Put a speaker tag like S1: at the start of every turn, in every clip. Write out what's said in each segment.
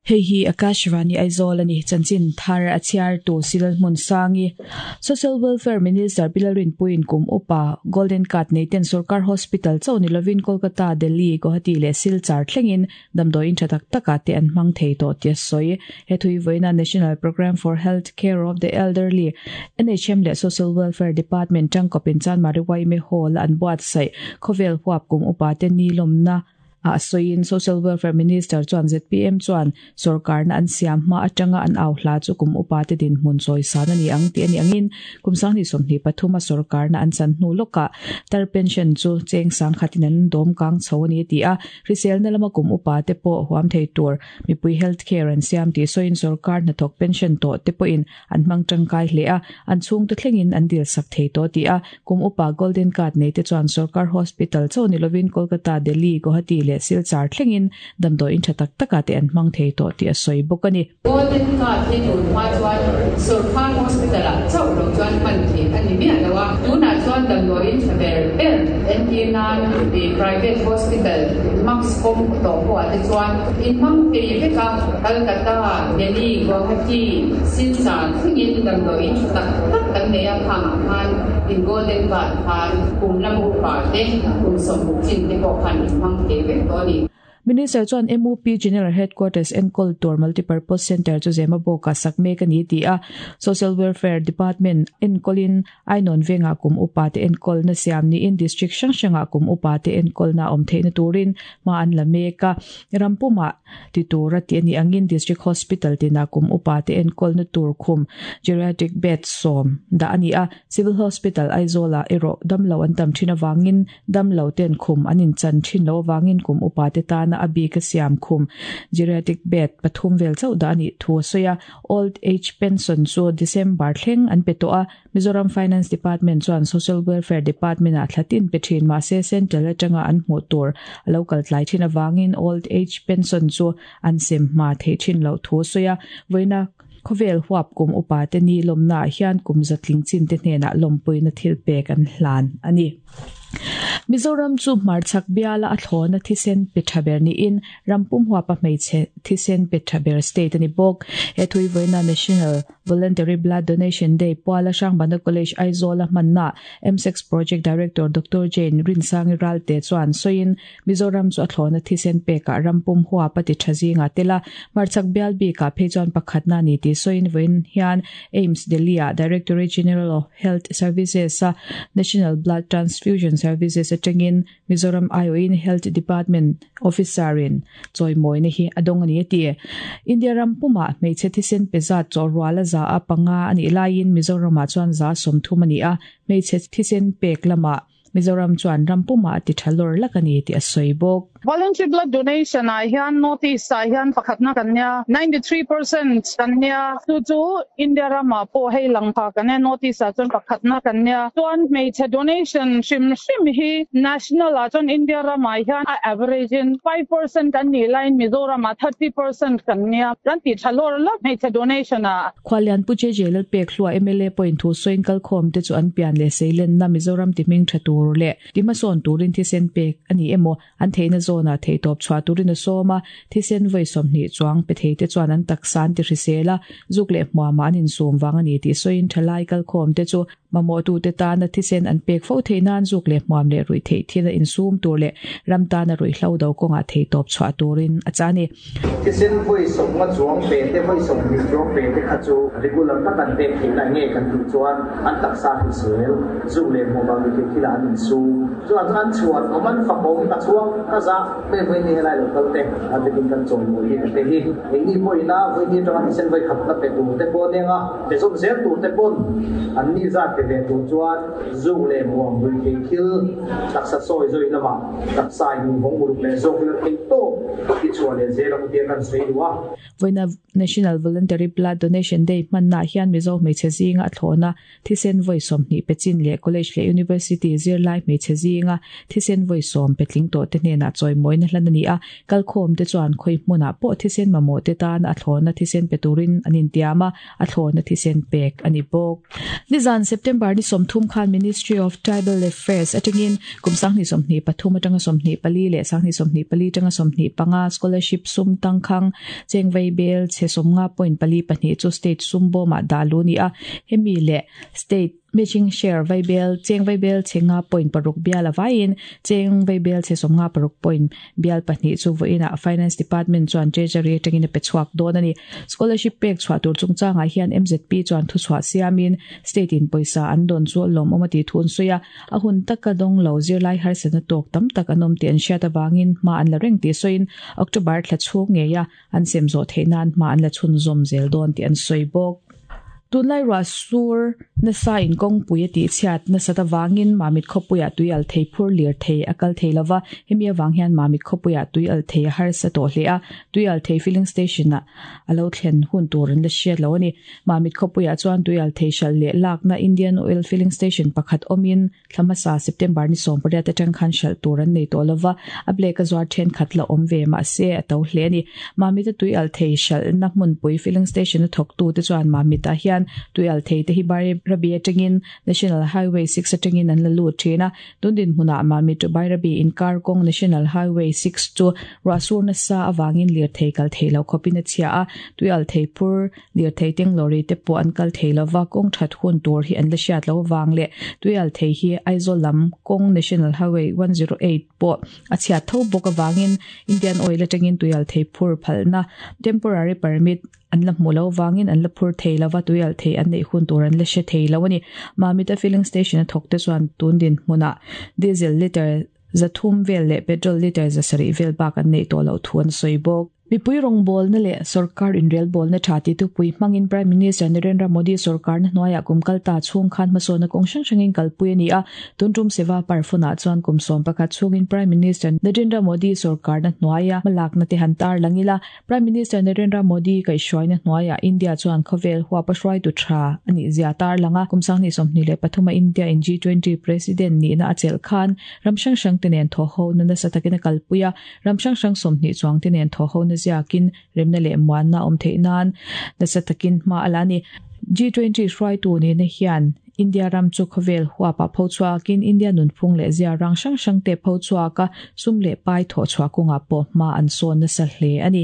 S1: Hei hi Akashvani Aizawl a ni. Chanchin thar a chhiartu Silal Hmunsangi, Social Welfare Minister Pi Lalrinpuiin kum upa Golden Card nei ten Sorkar Hospital chauh ni lovin Kolkata, Delhi, Guwahati leh Silchar thlengin damdawiin tha tak takah te an hmang thei tawh tih a sawi. He thui vawiina National Programme for Health Care of the Elderly, NHM leh Social Welfare Department tangkawpin Chanmari YMA Hall-a an buatsaih khawvel huap kum upa te ni lawmna Ah sawiin Social Welfare Minister chuan zpm chuan sorkarna an siam hma atanga an au hla chu kum upa te dinhmun chawisan a ni ang tih a nih angin kum sanghnih 23 a sorkarna an chan hnu lawkah tar pension chu cheng sangkhatin an dawm kang chho a ni a ti a. Hriselna lama kum upa te pawh huam thei tur mipui health care an siam tih sawiin sorkar hnathawk pension tawh te pawhin An hmang tangkai hle a, an chhungte thlengin an dil sak thei tawh tih a, kum upa Golden Card nei te chuan sorkar hospital chauh ni lovin Kolkata, Delhi, Guwahati leh Silchar thlengin damdawiin tha tak takah te an hmang thei tawh tih a sawi bawk a ni.
S2: Golden Card hi tun hma chuan sorkar hospital ah chauh lo chuan hman theih a ni miah lo a, tunah chuan damdawiin tha ber ber entir nan private hospital max pawm tawh pawh ah te chuan in hmang thei vek a, Kolkata, Delhi, Guwahati, Silchar thlengin damdawiin tha tak tak kan nei a, khangah khan in Golden Card khan kum lam upa te, kum 60 chin te pawh khan in hmang thei vek tawh a ni.
S1: Minister chuan MUP General Headquarters enkawl tur Multipurpose Centre chu Zemabawkah sak mek a ni tih a, Social Welfare Department enkawlin Ainawn vengah kum upa te enkawlna siam niin District hrang hrangah kum upa te enkawlna awm theihna turin hma an la mek a. Ram pumah ti tura tih a nih angin District Hospital tinah kum upa te enkawlna tur khum Geriatric Bed sawm dah a ni a. Civil Hospital Aizawlah erawh damlo an tam thin avangin damlo ten khum an inchan thin lo avangin kum upa te tana a bik a siam khum Geriatric Bed pathum vel chauh dah a nih thu a sawi a. Old Age Pension chu December thleng an pe tawh a, Mizoram Finance Department chuan Social Welfare Department-ah thla tin pe thin mahse Central atanga an hmuh tur a lo kal tlai thin avangin Old Age Pension chu an sem hma theih thin loh thu a sawi a. Vawiina khawvel huap kum upa te ni lawmnaah hian kum zatling chin te hnenah lawmpuina thil pek an hlan a ni. Mizoram chu hmarchhak biala a thlawna thisen pe tha ber niin ram pum huapa hmeichhe thisen pe tha ber state a ni bawk. He thui vawiina National Voluntary Blood Donation Day puala Hrangbana College Aizawl-a hmanna MSEX Project Director Doctor Jane Rinsangi Ralte chuan sawiin Mizoram chu a thlawna thisen pekah ram pum huap a ti tha zingah tel a, hmarchhak bial bikah phei chuan pakhatna a ni tih sawiin vawiin hian AIIMS Delhi-ah Directorate General of Health Services-a National Blood Transfusion Services atangin Mizoram aiawhin Health Department Officer-in chawimawina hi a dawng a ni a ti. India ram pumah hmeichhe thisen pe zat chawhrual a za a panga a nih laiin Mizoramah chuan za 30 a ni a, hmeichhe thisen pek lamah Mizoram chuan ram pumah a ti tha lawr lak a ni tih a sawi bawk.
S3: Voluntary blood donation ah hian North East ah hian pakhatna kan nia, 93% kan nia, chu chu India ramah pawh hei lang pha kan nia, North East ah chuan pakhatna kan nia. Chuan hmeichhe donation hrim hrim hi national ah chuan India ramah hian a average in 5% kan nih laiin Mizoram ah 30% kan nia, kan ti tha lawr lawk hmeichhe donation ah.
S1: Khualian Pu JJ Lalpekhlua mla pawhin thu sawiin kalkhawm te chu an pian leh seilenna Mizoram ti hming tha tur leh ti hmasawn turin thisen pek a ni emaw an theihna zawnah theihtawp chhuah turin a sawm a, thisen vawi 20 chuang pe thei te chuan an taksa an ti hrisel a, zuk leh hmuamah an insum vang a ni tih sawiin thalai kalkhawm te chu Mamawhtute tana thisen an pek fo theih nan zuk leh hmuam leh ruih theih thil a insum tur leh ram tana ruihhlo do kawngah theitawp chhuah turin a chah a ni.
S4: Thisen vawi sawmnga chuang pe te, vawi 20 chuang pe te kha chu regular tak an pek theih lai nge kan tih chuan an taksa hrisel, zuk leh hmuam ah ruih theih thil ah an insum. Chuan an chhuan awm an fakawm ka chhuang ka zah hmel vawi ni helai lo kal te a bikin kan chawimawi hi te hi engni pawhin a vawi ni atanga thisen vawi khat na pe tur te pawh aniang a. Pe zawm zel tur te pawn an ni zat pe ve tur chuan zuk leh muang ruih theih thil taksa sawi zawi lamah taksa in vawng uluk leh zawk ila theih tawp i chhuah leh zel ang tia kan sawi duh a.
S1: Vawiina National Voluntary Blood Donation Day hmannaah hian Mizo hmeichhe zinga a thlawhna thisen vawi 20 pe chin leh College leh University zirlai zirlai hmeichhe zinga thisen vawi sawm petling tawh te hnenah chawimawina hlan a ni a, kalkhawm te chuan khawi hmunah pawh thisen mamawh te tan a thlawna thisen pe turin an intiam a, a thlawna thisen pek a ni bawk. Nizan September ni 30 khan Ministry of Tribal Affairs atangin kum 2023 atanga 24 leh 2024 atanga 25 scholarship sum tangkhang chengvei bel chhe 50.42 chu state sum bawmah dah lu ni a, hemi leh state matching share vaibel cheng vaibel chhe nga point paruk bial avaiin cheng vaibel chhe 56 point bial pahnih chu vawiinah Finance Department chuan Treasury atangin a pe chhuak dawn a ni. Scholarship pek chhuah tur chungchangah hian MZP chuan thuchhuah siamin state in pawisa an dawn chu a lawmawm a tih thu an sawi a, a hun taka dawng lo zirlai harsatna tawk tam tak an awm tih an hriat avangin hma an la reng tih sawiin October thla chhung ngeia an sem zawh theih nan hma an la chhunzawm zel dawn tih an sawi bawk. Tunlai ruah sur nasa in kawngpui a tihchhiat nasat avangin Mamit khawpuiah tui al thei phur lir thei a kal thei lova, hemi avang hian Mamit khawpuiah tui al thei a harsa tawh hle a, tui al thei filling station ah a lo thlen hun tur an la hriat lo a ni. Mamit khawpuiah chuan tui al thei hralh leh lakna Indian Oil filling station pakhat awmin Thla hmasa September ni 18 atang khan hralh tur an nei tawh lova, a black a zuar thenkhat la awm ve mahse a to hle a ni. Mamit a tui alh thei hralhna hmunpui filling station a thawktu te chuan Mamit ah hian tui alh thei te hi Bairabi atangin National Highway 6 atangin an la lut thin a, tun dinhmunah Mamit to Bairabi inkar kawng National Highway 6 chu ruahsur nasa avangin lirthei kal thei lo khawpin a chhia a, tui alh thei phur Lirthei teng lorry te pawh an kal thei lova, kawng that hun tur hi an la hriat lo avang leh tuial thei hi Aizawl lam kawng National Highway 108 pawh a chhiat tho bawk avangin Indian Oil atangin tuial thei phur phalna temporary permit an la hmuh lo avangin an la phur thei lova, tuial thei an neih hun tur an la hre thei lo a ni. Mamita filling station a thawk te chuan tun dinhmunah diesel litre 300 vel leh petrol litre 700 vel bak an neih tawh loh thu an sawi bawk. Mipui rawngbawlna leh sorkar inrelbawlna tha ti thupui hmangin Prime Minister Narendra Modi sorkarna hnuaiah kum kal ta chhung khan hmasawnna kawng hrang hrangin kalpui a ni a. Tun tum Seva Parfunah chuan kum 11 chhungin Prime Minister Narendra Modi sorkarna hnuaia hmalakna te han tar lang ila. Prime Minister Narendra Modi kaihhruaina hnuaiah India chuan khawvel huapa hruaitu tha a nih zia tar lang a. Kum 2023 a India in G20 President nihna a chelh khan ram hrang hrang te nen thawhhona nasa takin a kalpui a. Ram hrang hrang 20 chuang te nen thaw ho na ziakin remna leh muanna awm theih nan nasa takin hma a la a ni. G20 hruaitu nihna hian India ram chu khawvel huapah pho chhuakin India nunphung leh zia rang hrang hrang te pho chhuaka sum leh pai thawh chhuah kawngah pawh hma an sawn nasa hle a ni.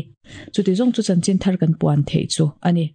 S1: Chuti zawng chu chanchin thar kan puan theih chu a ni.